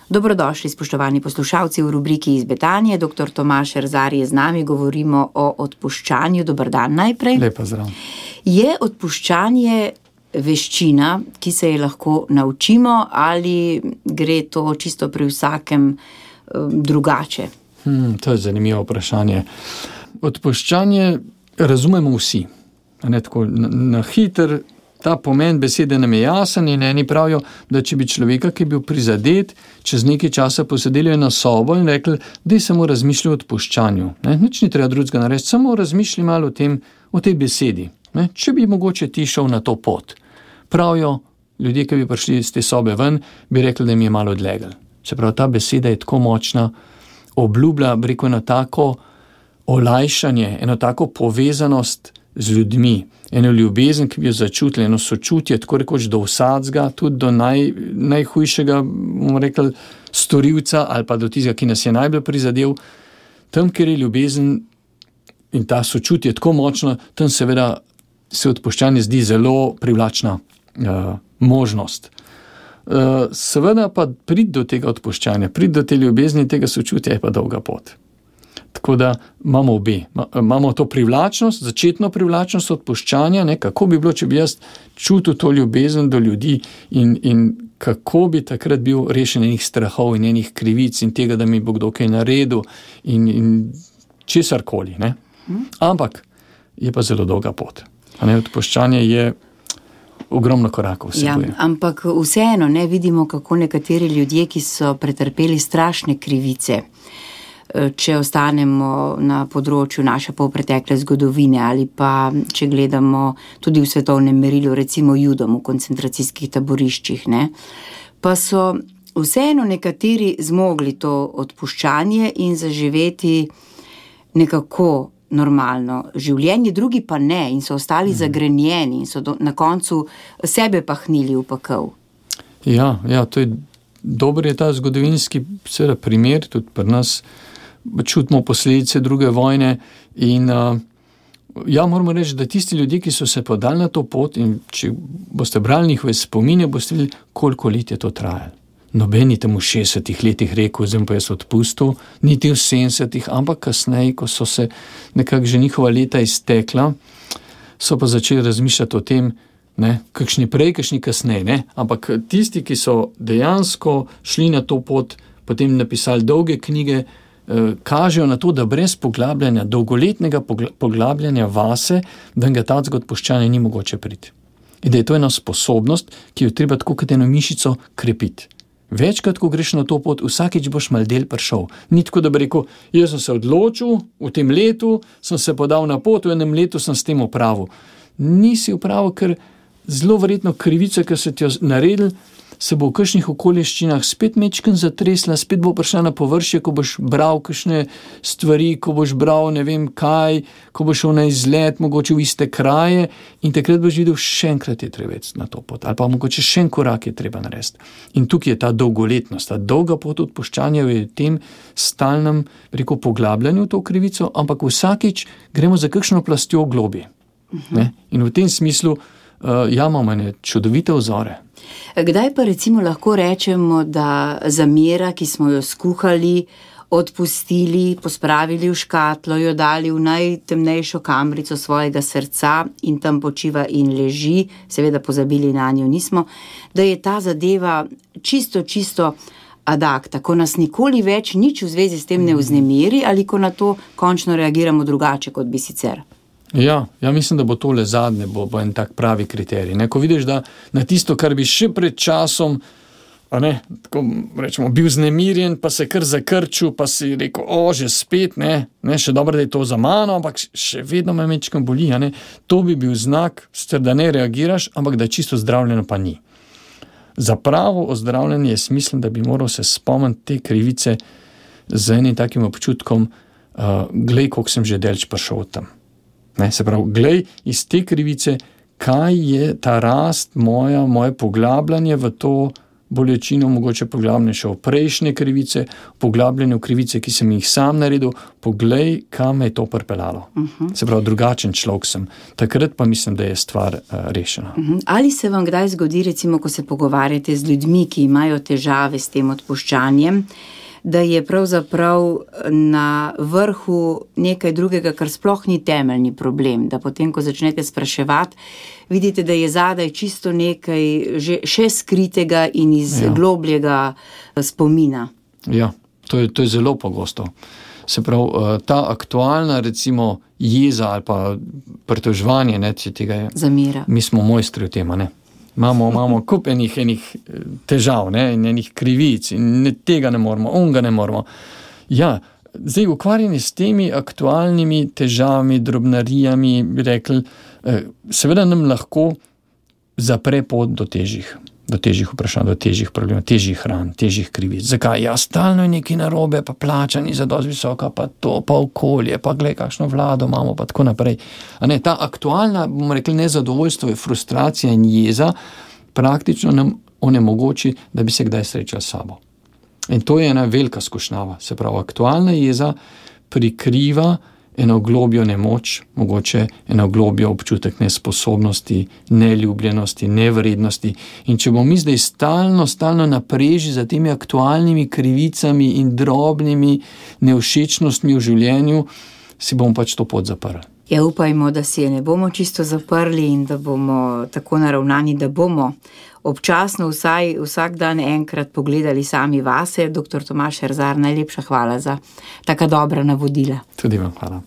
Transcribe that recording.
Dobrodošli, spoštovani poslušalci v rubriki Iz Betanije. Dr. Tomaž Erzar je z nami, govorimo o odpuščanju. Dober dan najprej. Lepo zdrav. Je odpuščanje veščina, ki se je lahko naučimo, ali gre to čisto pri vsakem drugače? To je zanimivo vprašanje. Odpuščanje razumemo vsi. Ne, tako, na hiter ta pomen besede nam je jasen in eni pravijo, da če bi človeka, ki je bil prizadet, čez nekaj časa posedeli na sobo in rekli, da je samo razmišljal o odpuščanju. Nič ni treba drugega narediti, samo razmišljaj malo o tej besedi. Ne? Če bi mogoče ti šel na to pot. Pravijo, ljudje, ki bi prišli iz te sobe ven, bi rekli, da jim je malo odlegel. Se pravi, ta beseda je tako močna, obljublja, bi rekel, eno tako olajšanje, eno tako povezanost z ljudmi, eno ljubezen, ki bi jo začutili, eno sočutje, tako rekoč do vsadzga, tudi do najhujšega, bomo rekli, storilca ali pa do tistega, ki nas je najbolj prizadel. Tam, kjer je ljubezen in ta sočutje tako močno, tam seveda se odpuščanje zdi zelo privlačna možnost. Seveda pa priti do tega odpuščanja, priti do te ljubezni in tega sočutja je pa dolga pot. Tako da imamo obe. Imamo to privlačnost, začetno privlačnost odpuščanja, ne, kako bi bilo, če bi jaz čutil to ljubezen do ljudi in kako bi takrat bil rešen enih strahov in enih krivic in tega, da mi bo kdo kaj naredil in česarkoli. Ne. Ampak je pa zelo dolga pot. Odpuščanje je ogromno korakov vsebuje. Ja, ampak vseeno ne vidimo, kako nekateri ljudje, ki so pretrpeli strašne krivice, če ostanemo na področju naše polpretekle zgodovine ali pa če gledamo tudi v svetovnem merilu, recimo Judom v koncentracijskih taboriščih, ne, pa so vseeno nekateri zmogli to odpuščanje in zaživeti nekako normalno življenje, drugi pa ne in so ostali zagrenjeni in so na koncu sebe pahnili v pekel. Ja, to je dober je ta zgodovinski seveda primer, tudi pri nas čutimo posledice druge vojne in moramo reči, da tisti ljudje, ki so se podali na to pot in če boste brali njihove spomine, boste videli, koliko let je to trajalo. Noben ni tam v 60 letih rekel, zdaj pa jaz odpustil, niti v 70, ampak kasneje, ko so se nekako že njihova leta iztekla, so pa začeli razmišljati o tem, ne, kakšni prej, kakšni kasneje, ne, ampak tisti, ki so dejansko šli na to pot, potem napisali dolge knjige, kažejo na to, da brez poglabljanja, dolgoletnega poglabljanja vase, da ga tacega odpuščanja ni mogoče priti. In da je to ena sposobnost, ki jo treba tako kot eno mišico krepiti. Večkrat, ko greš na to pot, vsakič boš mal del prišel. Ni tako, da bi rekel, jaz sem se odločil, v tem letu sem se podal na pot, v enem letu sem s tem opravil. Nisi opravil, ker zelo verjetno krivica, ki se ti jo naredil, se bo v kakšnih okoliščinah spet mečken zatresla, spet bo prišla na površje, ko boš bral kakšne stvari, ko boš bral ne vem kaj, ko boš šel na izlet, mogoče v iste kraje in takrat boš videl, še enkrat je treba na to pot, ali pa mogoče še en korak je treba narediti. In tukaj je ta dolgoletnost, ta dolga pot odpuščanja v tem stalnem, rekel, poglabljanju to krivico, ampak vsakič gremo za kakšno plastjo globje. Ne? In v tem smislu imamo ene čudovite vzore. Kdaj pa recimo lahko rečemo, da zamera, ki smo jo skuhali, odpustili, pospravili v škatlo, jo dali v najtemnejšo kamrico svojega srca in tam počiva in leži, seveda pozabili na njo nismo, da je ta zadeva čisto ad acta, ko nas nikoli več nič v zvezi s tem ne vznemiri ali ko na to končno reagiramo drugače, kot bi sicer. Ja, mislim, da bo tole zadnje, bo en tak pravi kriterij. Ne? Ko vidiš, da na tisto, kar bi še pred časom, tako rečemo, bil znemirjen, pa se kar zakrčil, pa si rekel, že spet, ne, še dobro, da je to za mano, ampak še vedno me mečkam boli, to bi bil znak, da ne reagiraš, ampak da čisto zdravljeno pa ni. Za pravo ozdravljanje je smislen, da bi moral se spomniti te krivice z enim takim občutkom, glej, koliko sem že delč prišel tam. Ne, se pravi, glej iz te krivice, kaj je ta rast moje poglabljanje v to bolečino, mogoče poglabljanje še v prejšnje krivice, poglabljanje v krivice, ki sem jih sam naredil, poglej, kam me je to pripeljalo. Se pravi, drugačen človek sem. Takrat pa mislim, da je stvar rešena. Ali se vam kdaj zgodi, recimo, ko se pogovarjate z ljudmi, ki imajo težave s tem odpuščanjem, da je pravzaprav na vrhu nekaj drugega, kar sploh ni temeljni problem, da potem, ko začnete spraševati, vidite, da je zadaj čisto nekaj še skritega in iz globljega spomina. Ja, to je zelo pogosto. Se pravi, ta aktualna, recimo, jeza ali pa pritoževanje, tega je. Zamera. Mi smo mojstri v tem, ne? Imamo kup enih težav, in enih krivic in tega ne moramo, onga ne moramo. Ja, zdaj ukvarjanje s temi aktualnimi težavami, drobnarijami, bi rekli, seveda nam lahko zapre pot do težjih vprašanj, do težjih problemov, težjih ran, težjih krivic. Zakaj? Ja, stalno je nekaj narobe, pa plača ni zadosti visoka, pa to, pa okolje, pa glej, kakšno vlado imamo, pa tako naprej. A ne, ta aktualna, bomo rekli, nezadovoljstvo, frustracija in jeza praktično nam onemogoči, da bi se kdaj srečali s sabo. In to je ena velika skušnjava. Se pravi, aktualna jeza prikriva eno globjo nemoč, mogoče eno globjo občutek nesposobnosti, neljubljenosti, nevrednosti. In če bomo mi zdaj stalno napreži za temi aktualnimi krivicami in drobnimi nevšečnostmi v življenju, si bomo pač to pot zaprli. Ja, upajmo, da si je ne bomo čisto zaprli in da bomo tako naravnani, da bomo občasno vsak dan enkrat pogledali sami vase. Dr. Tomaž Erzar, najlepša hvala za taka dobra navodila. Tudi vam hvala.